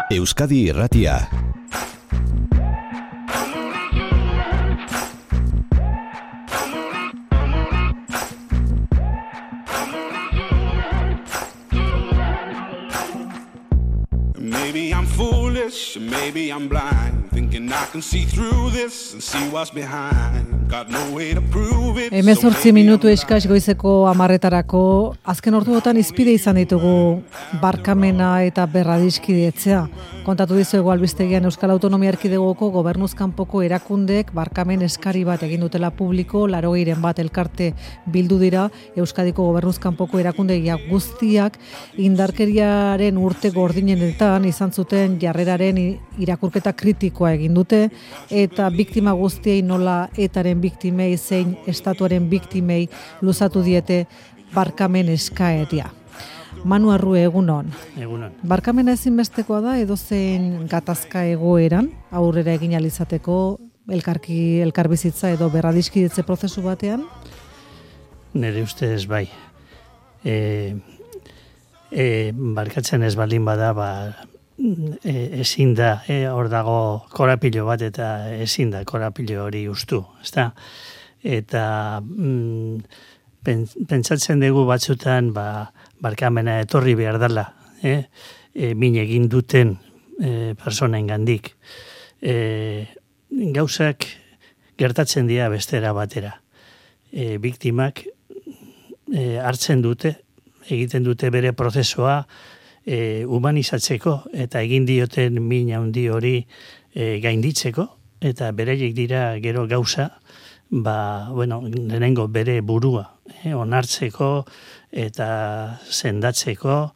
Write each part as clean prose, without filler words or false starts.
Euskadi Irratia. Maybe I'm foolish, maybe I'm blind, thinking I can see through this and see what's behind. Got no way to prove it. 18 minutu eskas goizeko 10:00etarako azken orduotan izpide izan ditugu barkamena eta berradiskidetzea. Kontatu dizuegu albistegian Euskal Autonomia Erkidegoko gobernuz kanpoko erakundeek barkamen eskari bat egin dutela publiko, 80 bat elkarte bildu dira Euskadiko gobernuz kanpoko erakundeak guztiak indarkeriaren urte gordinenetan izan zuten jarreraren irakurketa kritikoa egin dute eta biktima guztiei nola etaren biktimei zein estatuaren biktimei luzatu diete barkamen eskaeria. Manu Arrue, egunon. Egunon. Barkamena ezinbestekoa da edozein gatazka egoeran aurrera egin alizateko elkarbizitza edo berradiskidetze prozesu batean? Nire ustez bai. Barkatzen ez baldin bada, ezin da, hor dago korapilo bat eta ezin da korapilo hori ustu, ezta? Eta pentsatzen dugu batzutan barkamena etorri behar dela, min egin duten personengandik. Gauzak gertatzen dira bestera batera. Biktimak hartzen dute, egiten dute bere prozesua humanizatzeko eta egin dioten min handi hori gainditzeko eta bereiek dira gero gauza, lehenengo bere burua onartzeko eta sendatzeko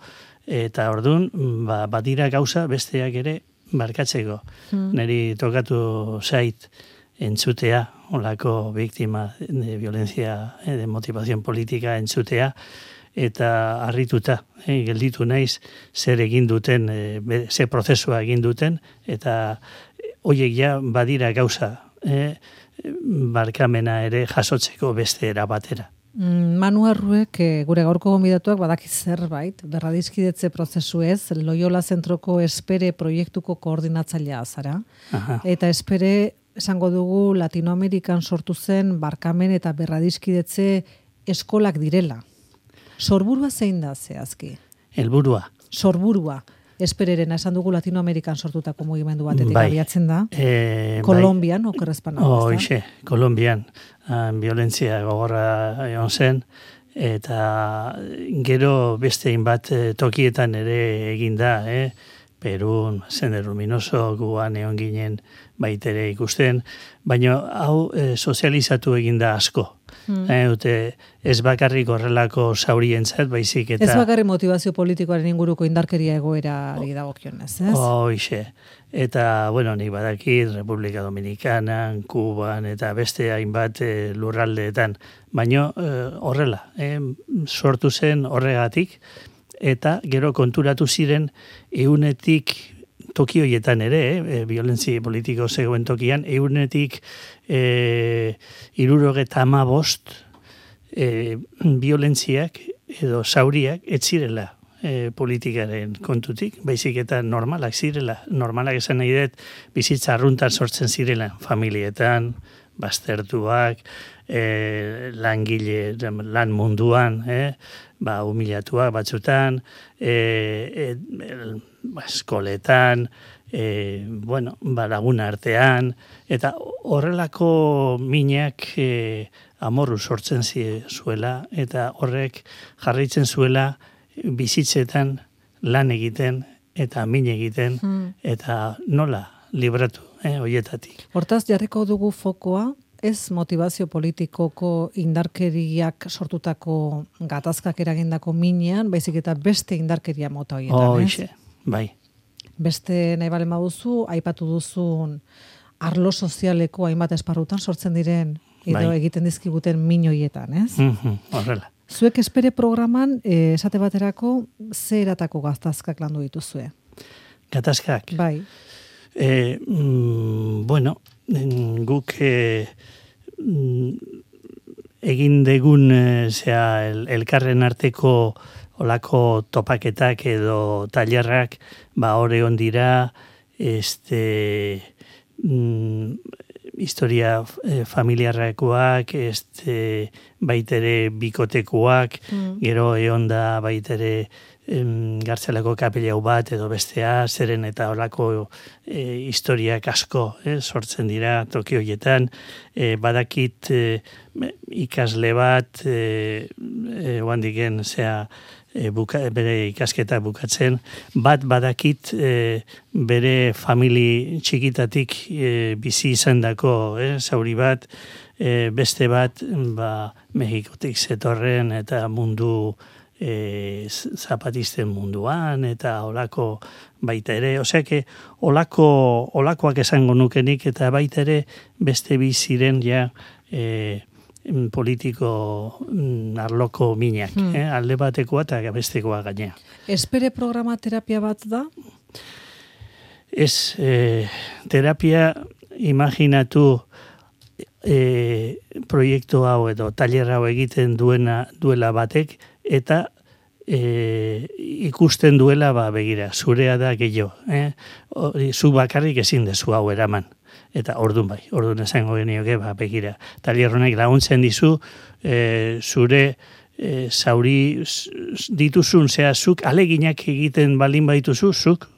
eta ordun badira gauza besteak ere barkatzeko. Neri tokatu zait entzutea, olako biktima de violencia de motivación política entzutea, eta harrituta, gelditu naiz zer egin duten, ze prozesua egin duten, eta horiek ja badira gauza, barkamena ere jasotzeko beste era batera. Manu Arruek, gure gaurko gonbidatuak badakiz zerbait, berradiskidetze prozesu ez, Loyola Zentroko Espere proiektuko koordinatzailea zara. Aha. Eta Espere, esango dugu, Latinoamerikan sortu zen barkamen eta berradiskidetze eskolak direla. Sorburua zein da zehazki? Helburua. Sorburua. Espererena, esan dugu Latinoamerikan sortutako mugimendu batetik abiatzen da. Kolombian, okerrezpan hau. Hoxe, Kolombian. Violentzia gogorra egon zen, eta gero bestein bat tokietan ere eginda, Perun, Sender Luminoso, guan egon ginen baitere ikusten, baina hau sozializatu eginda asko. Ez bakarrik horrelako zaurientzat, baizik eta... Ez bakarrik motivazio politikoaren inguruko indarkeria egoerari dagokionez, ez? Hoxe. Eta, nik badakit, Republika Dominikanan, Kuban eta beste hainbat lurraldeetan. Baina horrela, sortu zen horregatik, eta gero konturatu ziren eunetik toki horietan ere, violentzia politiko zegoen tokian, eunetik 75 violentziak edo zauriak ez zirela politikaren kontutik, baizik eta normalak zirela. Normalak esan nahi dut, bizitza arruntan sortzen zirela, familietan, baztertuak, langile, lan munduan, humilatuak batzutan, eskoletan, lagun artean, eta horrelako minak amorru sortzen zuela, eta horrek jarraitzen zuela bizitzetan lan egiten, eta min egiten, eta nola libratu horietatik. Hortaz, jarriko dugu fokoa, ez motivazio politikoko indarkeriak sortutako gatazkak eragindako minean, baizik eta beste indarkeria mota horietan, ez? Bai. Beste nahi balen baduzu, aipatu duzun arlo sozialeko hainbat esparrutan sortzen diren edo egiten dizkiguten min horietan, ez? Horrela. Zuek Espere programan, esate baterako, ze eratako gatazkak landu dituzue? Gatazkak? Bai. Guk egin degun elkarren arteko olako topaketak edo tailerrak, hori ondira, historia familiarrakoak, baitere bikotekuak, gero egon da baitere Gartzelako kapelau bat edo bestea, zeren eta olako historiak asko sortzen dira toki horietan, badakit ikasle bat, oandiken, bere ikasketa bukatzen, bat badakit bere famili txikitatik bizi izan dako, zauri bat, beste bat Mexikotik zetorren eta mundu zapatisten munduan eta olako baita ere, oseake olakoak esango nukenik eta baita ere beste biziren politiko arloko minak, alde batekoa eta bestekoa gainea. Espere programa terapia bat da? Ez, terapia imaginatu proiektu hau edo tailer hau egiten duela batek eta ikusten duela begira, zurea da gehiago. Zu bakarrik ezin dezu hau eraman. Eta ordun esango genioke begira. Tailer honek laguntzen dizu zure zauri dituzun, zuk aleginak egiten baldin baituzu, zuk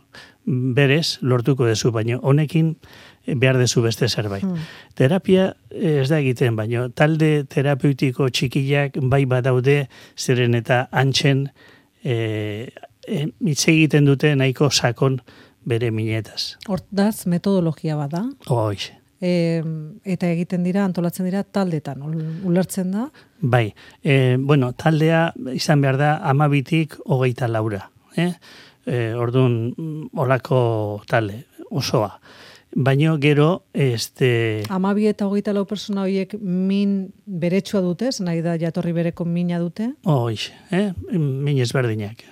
berez lortuko dezu, baina honekin behar dezu beste zerbait. Terapia ez da egiten, baina talde terapeutiko txikiak bai badaude, zeren eta antxen hitz egiten dute nahiko sakon bere minetaz. Hortaz, metodologia bada? Hoiz. Eta egiten dira, antolatzen dira taldetan, ulertzen da? Bai, taldea izan behar da 12tik 24. Orduan, olako talde, osoa. Baina gero, 12 eta 24 persona horiek min beretsua dute, nahi da jatorri bereko mina dute? Hoiz, min ezberdinak.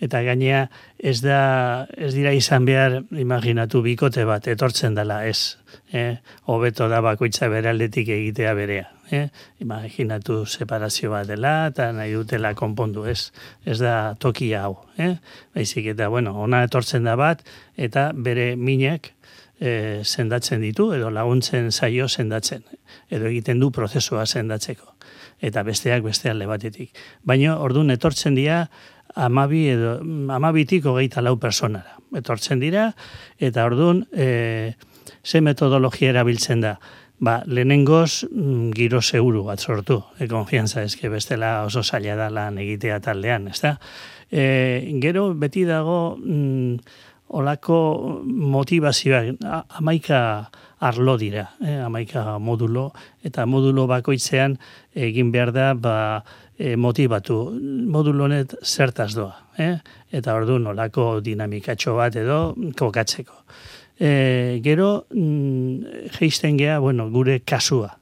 Eta gainea ez dira izan behar, imaginatu bikote bat, etortzen dela, ez. Hobeto da bakoitza bere aldetik egitea berea. Imaginatu separazio bat dela, eta nahi dutela konpondu, ez. Ez da tokia hau. Baizik eta, ona etortzen da bat, eta bere minak sendatzen ditu, edo laguntzen zaio sendatzen. Edo egiten du prozesua sendatzeko. Eta besteak beste alde batetik. Baina, orduan etortzen dira, 12tik 24 personara. Etortzen dira, eta orduan, ze metodologia erabiltzen da? Lehenengoz, giro seguru bat sortu. Konfiantza eske bestela oso zaila da lan egitea taldean, ezta? Gero, beti dago, olako motivazioak, 11 arlo dira, 11 modulo, eta modulo bakoitzean egin behar da, motivatu, modulo honet zertaz doa, eta orduan olako dinamikatxo bat edo kokatzeko. Gero, geisten gea, gure kasua,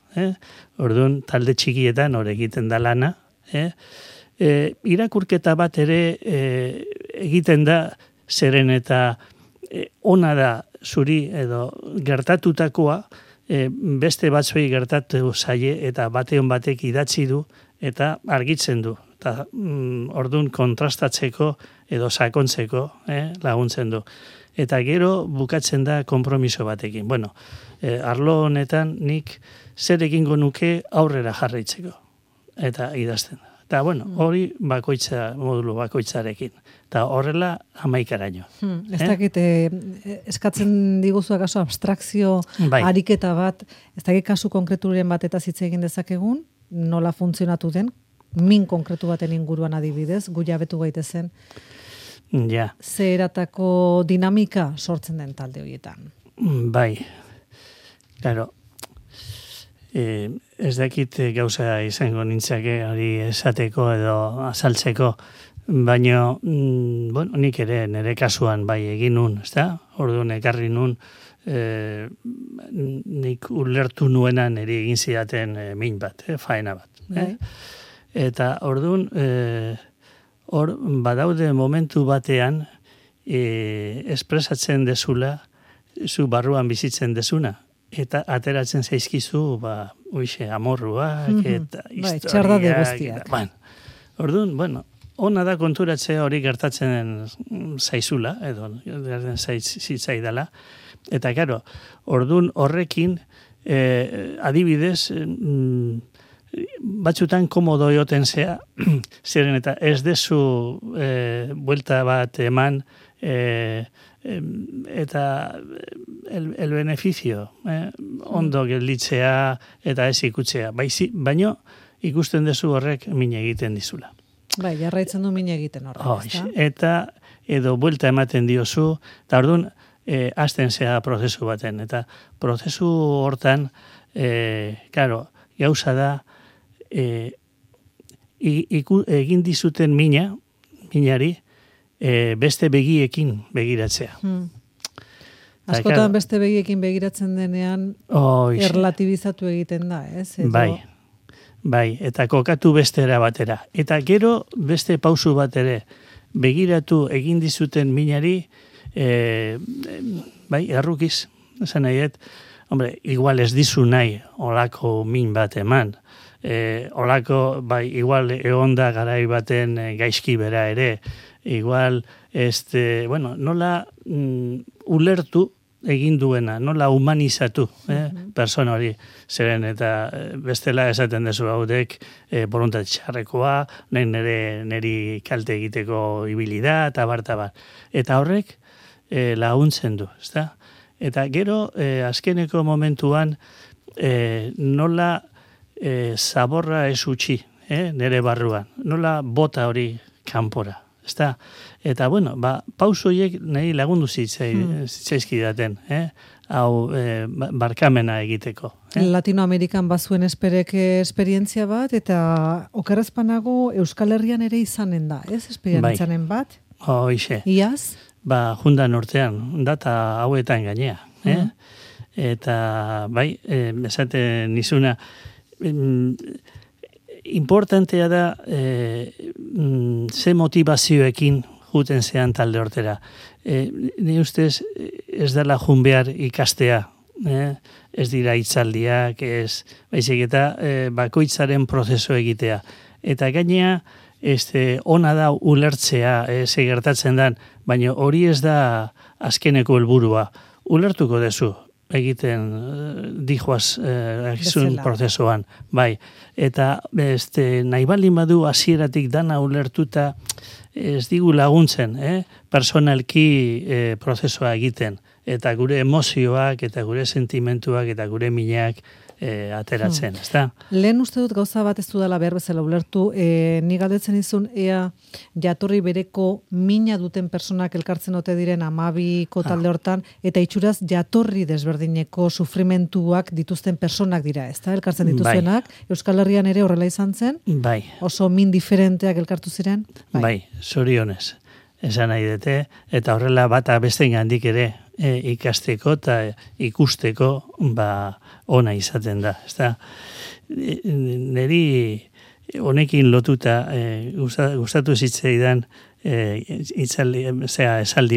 orduan talde txikietan hor egiten da lana, irakurketa bat ere egiten da, zeren eta ona da zuri edo gertatutakoa, beste batzuei gertatu zaie eta bateon batek idatzi du eta argitzen du. Eta orduan kontrastatzeko edo sakontzeko laguntzen du. Eta gero bukatzen da konpromiso batekin. Arlo honetan nik zer egingo nuke aurrera jarraitzeko. Eta idazten da. Eta, hori modulo bakoitzarekin. Eta horrela 11araino. Ez dakit, eskatzen diguzu akaso abstrakzio ariketa bat, ez dakit kasu konkreturen bat eta hitz egin dezakegun, nola funtzionatu den, min konkretu baten inguruan adibidez, gu jabetu gaitezen. Ja. Ze eratako dinamika sortzen den talde horietan. Bai. Claro. Ez dakit gauza izango nintzake hori esateko edo azaltzeko, baina, nik ere nire kasuan bai egin nun, ezta? Orduan ekarri nun, nik ulertu nuena nire egin zidaten min bat, faena bat. Eta orduan, hor badaude momentu batean, espresatzen dezula, zu barruan bizitzen dezuna. Eta ateratzen zaizkizu, amorruak, eta historiak. Txarda de guztiak. Orduan, ona da konturatzea hori gertatzen zaizula, edo zitzaidala. Eta, karo, ordun horrekin, adibidez, batzutan komodo joten zea, ziren eta ez dezu buelta bat eman, eta el beneficio, ondo gelditzea eta ez ikutzea. Baino ikusten dezu horrek min egiten dizula. Bai, jarraitzen du min egiten horrek. Eta edo buelta ematen diozu, eta orduan hasten zea prozesu baten. Eta prozesu hortan, claro, gauza da, egin dizuten minari, beste begiekin begiratzea. Askotan beste begiekin begiratzen denean, erlatibizatu egiten da, ez? Bai, eta kokatu bestera batera. Eta gero beste pausu bat ere, begiratu egin dizuten minari, errukiz, esan nahiet, hombre, igual ez dizu nahi olako min bat eman, olako, igual egonda garai baten gaizki bera ere, igual, nola ulertu egin duena, nola humanizatu persona hori, zeren eta bestela esaten dezu haudek voluntat txarrekoa, niri kalte egiteko ibilida, eta bar. Eta horrek laguntzen du, ezta? Eta gero, azkeneko momentuan, nola zaborra ez utzi, nire barruan, nola bota hori kanpora. Ezta? Eta, pauso horiek nahi lagundu zitzaizkidaten, hau barkamena egiteko. Latinoamerikan bazuen esperientzia bat, eta okerrezpanago Euskal Herrian ere izanen da, ez? Esperientzanen bat? Hoixe. Iaz? Jundan urtean, data hauetan gainea. Eta, esaten nizuna, importantea da ze motivazioekin juten zean talde hortera. Ni ustez ez dela jun behar ikastea, ez dira hitzaldiak, baizik eta bakoitzaren prozesu egitea. Eta gainea, ona da ulertzea, ze gertatzen dan, baina hori ez da azkeneko helburua. Ulertuko dezu egiten dijoaz prozesuan. Bai, eta nahi baldin badu hasieratik dana ulertuta ez digu laguntzen, personalki prozesua egiten, eta gure emozioak, eta gure sentimentuak, eta gure minak ateratzen, ezta? Lehen uste dut gauza bat ez dudala behar bezala ulertu, ni galdetzen izun ea jatorri bereko mina duten personak elkartzen ote diren 12ko talde hortan, eta itxuraz jatorri desberdineko sufrimentuak dituzten personak dira, ezta? Elkartzen dituzenak, Euskal Herrian ere horrela izan zen? Bai. Oso min diferenteak elkartu ziren? Bai, zorionez. Esan nahi dute, eta horrela bata bestein handik ere ikasteko eta ikusteko ona izaten da. Neri honekin lotuta gustatu zitzaidan esaldi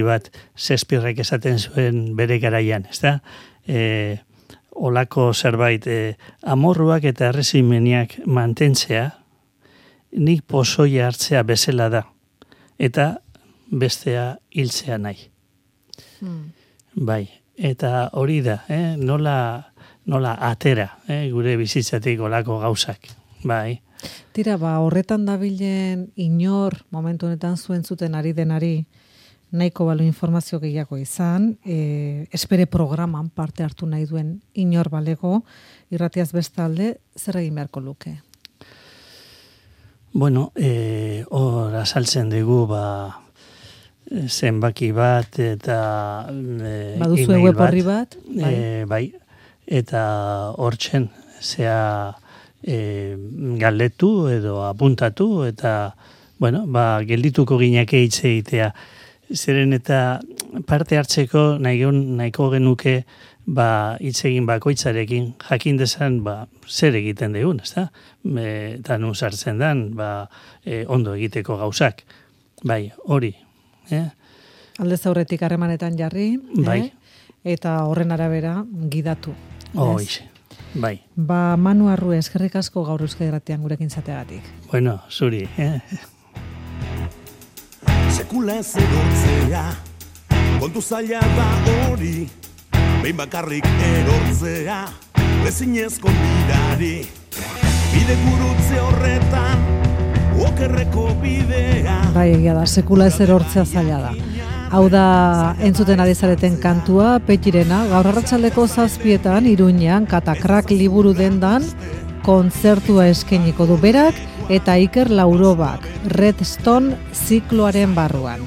bat Shakespearek esaten zuen bere garaian, ezta? Olako zerbait amorruak eta errezimeniak mantentzea nik pozoia hartzea bezala da. Eta bestea hiltzea nahi. Bai, eta hori da, nola atera, gure bizitzatik olako gauzak, bai. Tira, horretan dabilen inor, momentu honetan zuen zuten ari denari, nahiko balu informazio gehiago izan, espere programan parte hartu nahi duen inor balego, irratiaz bestalde, zer egin beharko luke? Bueno, hor azaltzen dugu, zenbaki bat eta baduzu web horri bat? Bai, eta hortzen zea galdetu edo apuntatu eta geldituko gineke hitz egitea. Zeren eta parte hartzeko nahiko genuke hitz egin bakoitzarekin jakin dezan zer egiten dugun, ezta? Eta nun sartzen dan ondo egiteko gauzak. Bai, hori. Aldez aurretik harremanetan jarri, eta horren arabera gidatu. Bai. Manu Arrue, eskerrik asko gaur Euskadi Irratian gurekin zateagatik. Bueno, zuri. sekula ez erortzea, kontu zaila da hori, behin bakarrik erortzea, ezinezko bidari, bide gurutze horretan, okerreko bidea. Bai, egia da, sekula ez erortzea zaila da. Hau da, entzuten ari zareten kantua, Petirena, gaur arratsaldeko 7:00 Iruñean, Katakrak liburu dendan, kontzertua eskainiko du berak, eta Iker Laurobak, Redstone zikloaren barruan.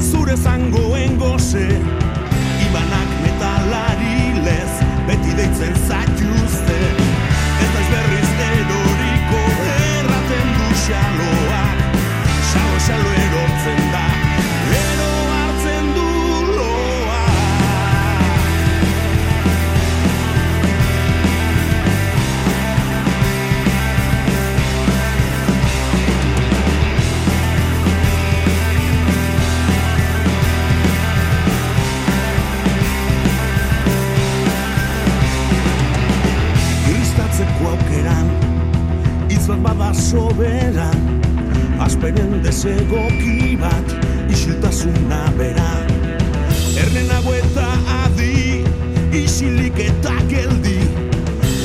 Zure zangoen goze, ibanak metalari lez, beti deitzen zaituzte, ez daiz berriz eroriko erraten du xaloak, xalo erortzen da, ero hartzen du loa. Gristatzeko aukeran, hitz bat bada soberan, asperen desegoki bat, isiltasuna bera. Ernenago eta adi, isilik eta geldi,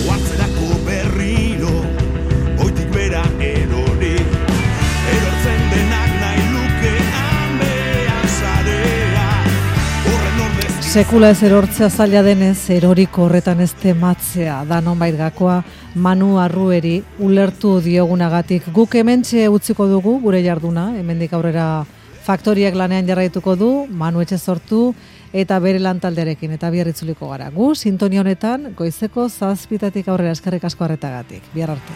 oatzerako berriro, goitik bera erori. Erortzen denak nahi lukean behan zarea, horren ordez... Sekula ez erortzea zaila denez, eroriko horretan ez tematzea, da nonbait gakoa Manu Arrueri ulertu diogunagatik. Guk hementxe utziko dugu gure jarduna, hemendik aurrera faktoriak lanean jarraituko du, Manu etxe sortu eta bere lantaldearekin eta bihar itzuliko gara. Gu sintonia honetan goizeko 7:00 aurrera, eskerrik asko arretagatik. Bihar arte.